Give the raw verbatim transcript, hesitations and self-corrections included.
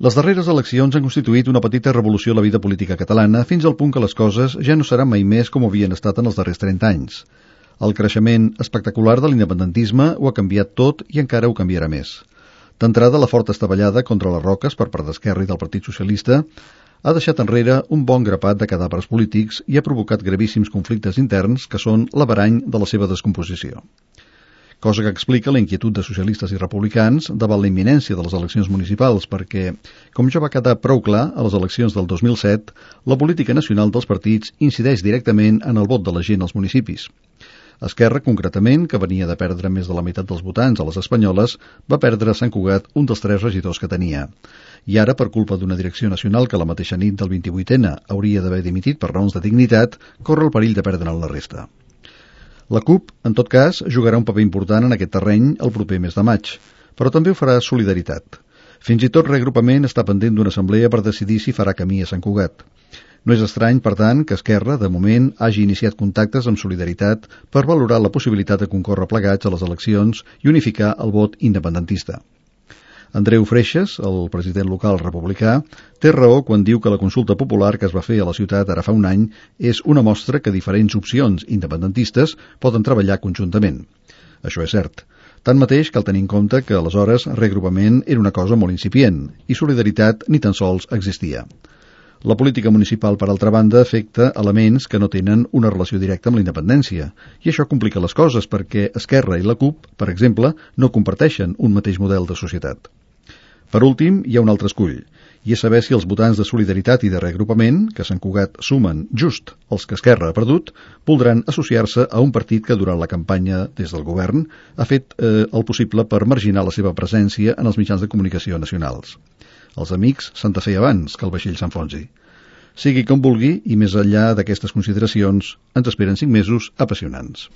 Les darreres eleccions han constituït una petita revolució a la vida política catalana fins al punt que les coses ja no seran mai més com havien estat en els darrers trenta anys. El creixement espectacular de l'independentisme ho ha canviat tot i encara ho canviarà més. D'entrada, la forta estavellada contra les roques per part d'Esquerra i del Partit Socialista ha deixat enrere un bon grapat de cadàvers polítics i ha provocat gravíssims conflictes interns que són l'averany de la seva descomposició. Cosa que explica la inquietud de socialistes i republicans davant la imminència de les eleccions municipals perquè, com ja va quedar prou clar a les eleccions del dos mil set, la política nacional dels partits incideix directament en el vot de la gent als municipis. Esquerra, concretament, que venia de perdre més de la meitat dels votants a les espanyoles, va perdre a Sant Cugat un dels tres regidors que tenia. I ara, per culpa d'una direcció nacional que la mateixa nit del vint-i-vuitena hauria d'haver dimitit per raons de dignitat, corre el perill de perdre'n la resta. La CUP, en tot cas, jugarà un paper important en aquest terreny el proper mes de maig, però també ho farà Solidaritat. Fins i tot Reagrupament està pendent d'una assemblea per decidir si farà camí a Sant Cugat. No és estrany, per tant, que Esquerra, de moment, hagi iniciat contactes amb Solidaritat per valorar la possibilitat de concórrer plegats a les eleccions i unificar el vot independentista. Andreu Freixas, el president local republicà, té raó quan diu que la consulta popular que es va fer a la ciutat ara fa un any és una mostra que diferents opcions independentistes poden treballar conjuntament. Això és cert. Tanmateix, cal tenir en compte que aleshores Reagrupament era una cosa molt incipient i Solidaritat ni tan sols existia. La política municipal, per altra banda, afecta elements que no tenen una relació directa amb la independència, i això complica les coses perquè Esquerra i la CUP, per exemple, no comparteixen un mateix model de societat. Per últim, hi ha un altre escull, i és saber si els votants de Solidaritat i de Reagrupament, que a Sant Cugat sumen just els que Esquerra ha perdut, voldran associar-se a un partit que durant la campanya des del govern ha fet eh, el possible per marginar la seva presència en els mitjans de comunicació nacionals. Els amics s'han de fer abans que el vaixell s'enfonsi. Sigui com vulgui, i més enllà d'aquestes consideracions, ens esperen cinc mesos apassionants.